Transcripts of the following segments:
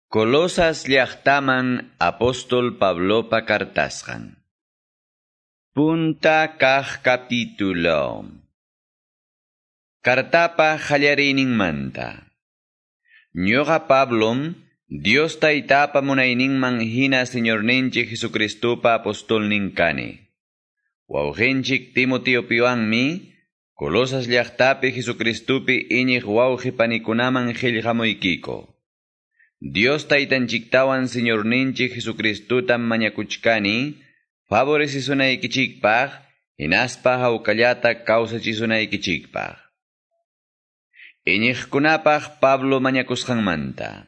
Colosas llaqtaman apóstol Pablopa kartasqan. Punta kaq capítulo. Kartapa qallariyninmanta. Ñuqa Pablom, Dios Taytapa munayninman hina Señorninchik Jesucristopa apostolnin kani. Wawqinchik Timoteopiwanmi, Colosas llaqtapi Jesucristopi iñiq wawqi panikunaman qillqamuykiko. Dios Taytanchiktawan Señorninchik Jesucristotam mañakuchkani, favorecisunaykichikpaq, hinaspa hawkallata kawsachisunaykichikpaq. Iñiqkunapaq Pablo mañakusqanmanta.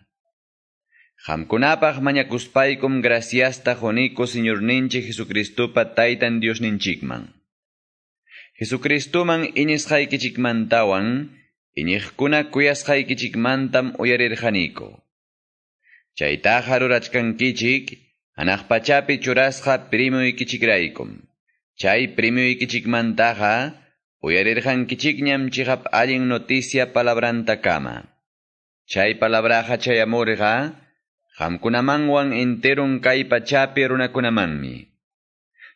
Qamkunapaq mañakuspaykum graciasta quniku Señorninchik Jesucristopa Taytan Diosninchikman. Jesucristoman iñisqaykichikmantawan, iñiqkuna kuyasqaykichikmantam uyarirqaniku. Chaytaqa rurachkankichik, hanaq pachapi churasqa primuykichikraykum. Chay primuykichikmantaqa uyarirqankichikñam chiqap allin noticia palabrantakama. Chay palabraqa chayamurqa, qamkunamanwan enterun kay pachapi runakunamanmi.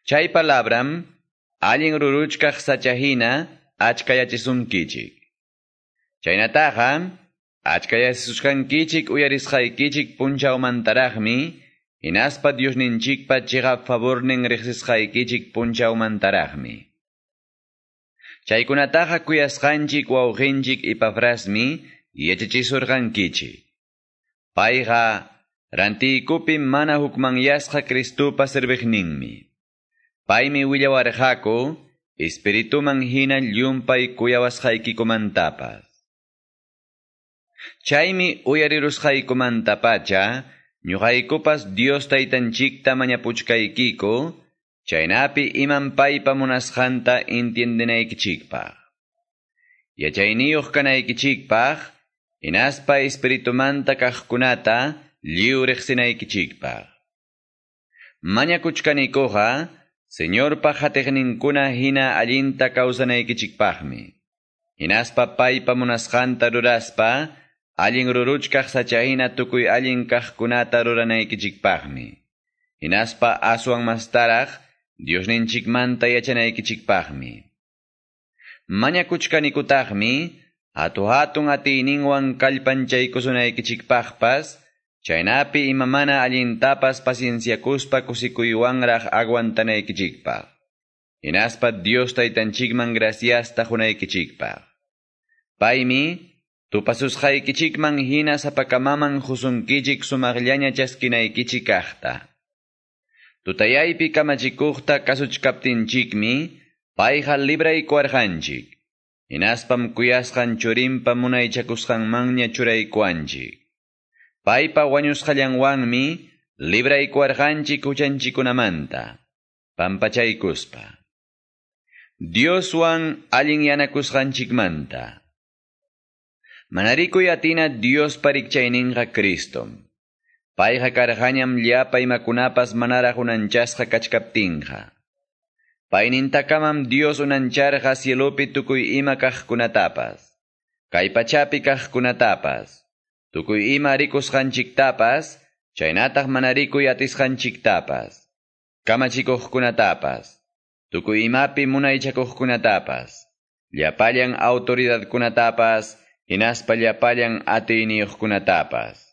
Chay palabram, allin ruruchkaq sachahina achkayachisunkichik. Chaynataqa, achkayachisusqankichik uyarisqaykichik punchawmantaraqmi, hinaspa Diosninchikpa chiqap favornin riqsisqaykichik punchawmantaraqmi. Chaykunataqa kuyasqanchik wawqinchik Epafrasmi yachachisurqankichik. Payqa rantiykupi mana hukmanyasqa Cristopa serviqninmi. Paymi willawarqaku espirituman hina llumpay kuyawasqaykikumantapas. Chaymi uyarirusqaykumantapacha, ñuqaykupas Dios Taytanchikta mañapuchkaykiku, chaynapi iman paypa munasqanta entiendenaykichikpaq. Yachayniyuq kanaykichikpaq, hinaspa espiritumanta kaqkunata lliw riqsinaykichikpaq. Mañakuchkanikuqa, Señorpa qatiqninkuna hina allinta kawsanaykichikpaqmi. Hinaspa paypa munasqanta ruraspa, allin ruruchkaq sachahina tukuy allin kaqkunata ruranaykichikpaqmi. Hinaspa aswan mastaraq Diosninchikmanta yachanaykichikpaqmi. Mañakuchkanikutaqmi, hatu-hatun atiyninwan kallpanchaykusunaykichikpaqpas, chaynapi imamana allintapas pacienciakuspa kusikuywanraq aguantanaykichikpaq. Hinaspa Dios Taytanchikman graciasta qunaykichikpaq. Paymi, tupasusqaykichikman hina sapakamaman husunkichik sumaqllaña chaskinaykichik kaqta. Tutayaypi kamachikuqta kasuchkaptinchikmi, payqa libraykuwarqanchik. Hinaspam kuyasqan churinpa munaychakusqanmanña churaykuwanchik. Paypa wañusqallanwanmi libraykuwarqanchik huchanchikunamanta, pampachaykuspa. Dioswan allin yanakusqanchikmanta. Manarikuy atina Diospa rikchayninqa Cristom. Payqa karqañam llapa imakunapas manaraq unanchasqa kachkaptinqa. Paynintakamam Dios unancharqa cielopi tukuy ima kaqkunatapas, kay pachapi kaqkunatapas, tukuy ima rikusqanchiktapas, chaynataq mana rikuy atisqanchiktapas, kamachikuqkunatapas, tukuy imapi munaychakuqkunatapas, llapallan autoridadkunatapas, hinaspa llapallan atiyniyuqkunatapas.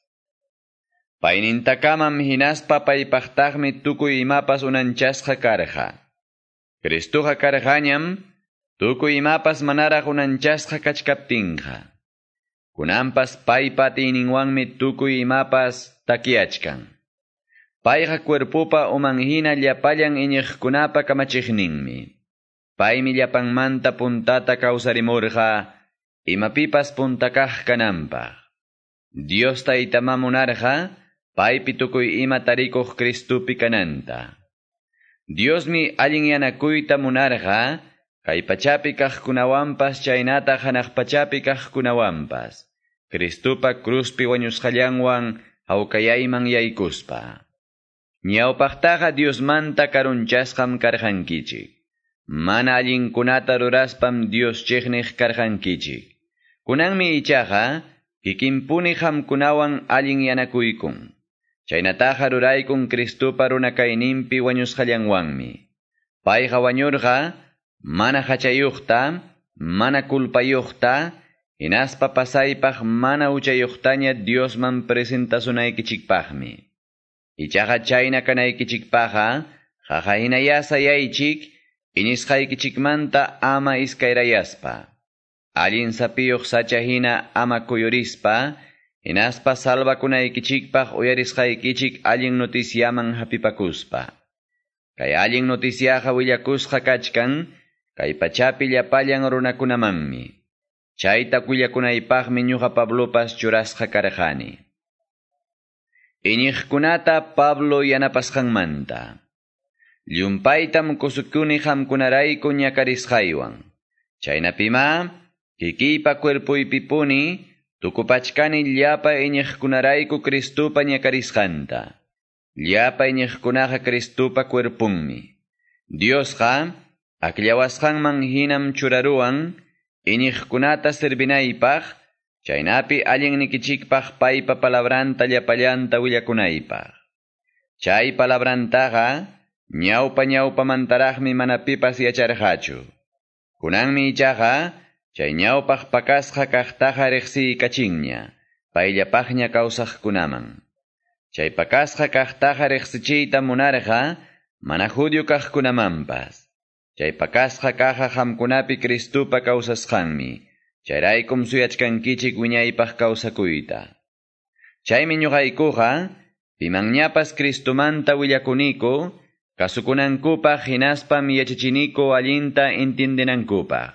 Paynintakamam hinaspa paypaqtaqmi tukuy imapas unanchasqa karqa. Cristoqa karqañam tukuy imapas manaraq unanchasqa kachkaptinqa. Kunanpas paypa atiyninwanmi tukuy imapas takyachkan. Payqa cuerpopa uman hina llapallan iñiqkunapa kamachiqninmi. Paymi llapanmanta puntata kawsarimurqa, imapipas puntakaq kananpaq. Dios Taytama munarqa, paypi tukuy ima tarikuq Cristopi kananta. Diosmi allin yanakuyta munarqa, kay pachapi kaqkunawanpas chaynataq hanaq pachapi kaqkunawanpas, Cristopa cruzpi wañusqallanwan hawkayayman yaykuspa. Ñawpaqtaqa Diosmanta karunchasqam karqankichik. Mana allinkunata ruraspam Dios chiqniq karqankichik. Kunanmi ichaqa Kikinpuni qamkunawan allinyanakuykun. Chaynataqa ruraykun Cristopa runakayninpi wañusqallanwanmi. Payqa wañurqa mana hachayuqta, mana culpayuqta, hinaspa pasaypaq mana huchayuqtaña Diosman presentasunaykichikpaqmi. Ichaqa chayna kanaykichikpaqqa, qaqa hinayá sayaychik, iñisqaykichikmanta ama iskayrayaspa. Allin sapiyuq sacha hina ama kuyurispa, hinaspa salvakunaykichikpaq uyarisqaykichik allin noticiaman hapipakuspa. Kay allin noticiaqa willakusqa kachkan, kay pachapi llapallan runakunamanmi. Chayta willakunaypaqmi ñuqa Pablopas churasqa karqani. Iñiqkunata Pablo yanapasqanmanta. Llumpaytam kusukuni qamkunarayku ñakarisqaywan. Chaynapima, kikiypa cuerpoypipuni, tukupachkani llapa iñiqkunarayku Cristopa ñakarisqanta. Llapa iñiqkunaqa Cristopa cuerpunmi. Diosqa, akllawasqanman hinam churaruwan, iñiqkunata servinaypaq, chaynapi allinnikichikpaq paypa palabranta llapallanta willakunaypaq. Chay palabrantaqa, ñawpa ñawpamantaraqmi mana pipas yacharqachu. Kunanmi ichaqa, chay ñawpaq pakasqa kaqtaqa riqsiykachinña, payllapaqña kawsaqkunaman. Chay pakasqa kaqtaqa riqsichiyta munarqa, mana judío kaqkunamanpas. Chay pakasqa kaqa qamkunapi Cristopa kawsasqanmi, chayraykum suyachkankichik wiñaypaq kawsakuyta. Chaymi ñuqaykuqa, pimanñapas Cristomanta willakuniku, kasukunankupaq hinaspam yachachiniku allinta entiendenankupaq.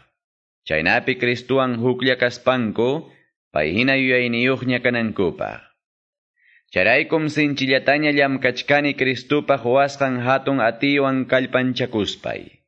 Chaynapi Cristowan huklla kaspanku, pay hina yuyayniyuqña kanankupaq. Chayraykum sinchillataña llamkachkani Cristopa quwasqan hatun atiywan kallpanchakuspay.